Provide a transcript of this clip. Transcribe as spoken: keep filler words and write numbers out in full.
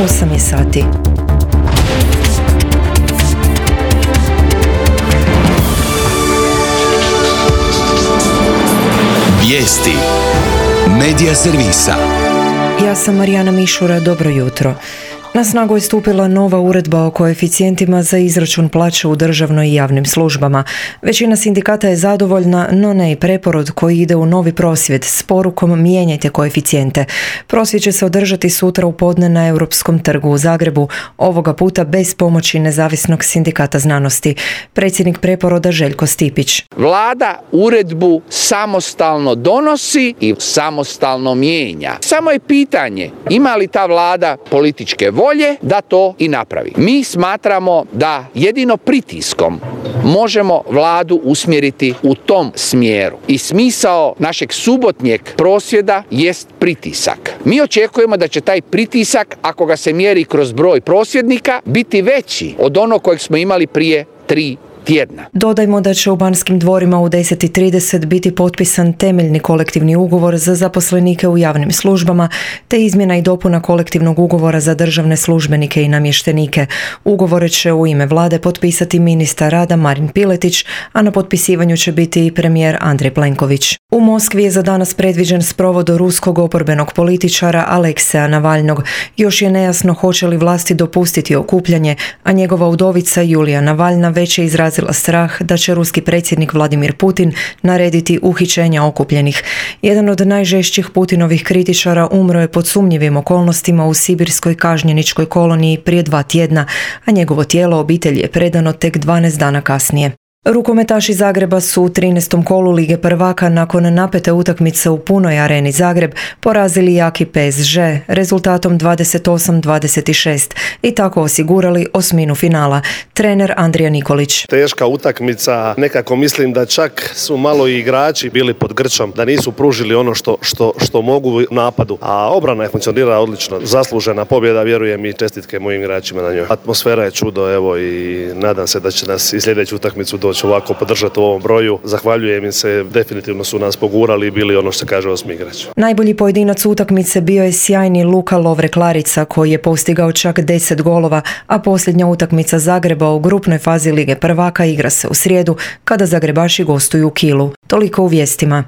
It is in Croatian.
osam je sati. Vijesti Medija servisa. Ja sam Marijana Mišura, dobro jutro. Na snagu je stupila nova uredba o koeficijentima za izračun plaće u državnoj i javnim službama. Većina sindikata je zadovoljna, no ne i preporod koji ide u novi prosvjed s porukom mijenjajte koeficijente. Prosvjed će se održati sutra u podne na Europskom trgu u Zagrebu, ovoga puta bez pomoći Nezavisnog sindikata znanosti. Predsjednik preporoda Željko Stipić. Vlada uredbu samostalno donosi i samostalno mijenja. Samo je pitanje ima li ta vlada političke volje da to i napravi. Mi smatramo da jedino pritiskom možemo vladu usmjeriti u tom smjeru. I smisao našeg subotnjeg prosvjeda jest pritisak. Mi očekujemo da će taj pritisak, ako ga se mjeri kroz broj prosvjednika, biti veći od onog kojeg smo imali prije tri tjedna. Dodajmo da će u Banskim dvorima u deset i trideset biti potpisan temeljni kolektivni ugovor za zaposlenike u javnim službama, te izmjena i dopuna kolektivnog ugovora za državne službenike i namještenike. Ugovore će u ime vlade potpisati ministar rada Marin Piletić, a na potpisivanju će biti i premijer Andrej Plenković. U Moskvi je za danas predviđen sprovod ruskog oporbenog političara Alekseja Navalnog. Još je nejasno hoće li vlasti dopustiti okupljanje, a njegova udovica Julija Navalna već je izrazila strah da će ruski predsjednik Vladimir Putin narediti uhićenja okupljenih. Jedan od najžešćih Putinovih kritičara umro je pod sumnjivim okolnostima u sibirskoj kažnjeničkoj koloniji prije dva tjedna, a njegovo tijelo obitelji je predano tek dvanaest dana kasnije. Rukometaši Zagreba su u trinaestom kolu Lige prvaka nakon napete utakmice u punoj areni Zagreb porazili jaki P S G rezultatom dvadeset osam dvadeset šest i tako osigurali osminu finala. Trener Andrija Nikolić. Teška utakmica, nekako mislim da čak su malo i igrači bili pod grčom, da nisu pružili ono što, što, što mogu u napadu, a obrana je funkcionirala odlično. Zaslužena pobjeda, vjerujem, i čestitke mojim igračima na njoj. Atmosfera je čudo, evo, i nadam se da će nas i sljedeću utakmicu doći ovako podržati u ovom broju. Zahvaljujem im se, definitivno su nas pogurali i bili ono što se kaže osmi igrač. Najbolji pojedinac utakmice bio je sjajni Luka Lovre-Klarica koji je postigao čak deset golova, a posljednja utakmica Zagreba u grupnoj fazi Lige prvaka igra se u srijedu kada Zagrebaši gostuju u Kielu. Toliko u vijestima.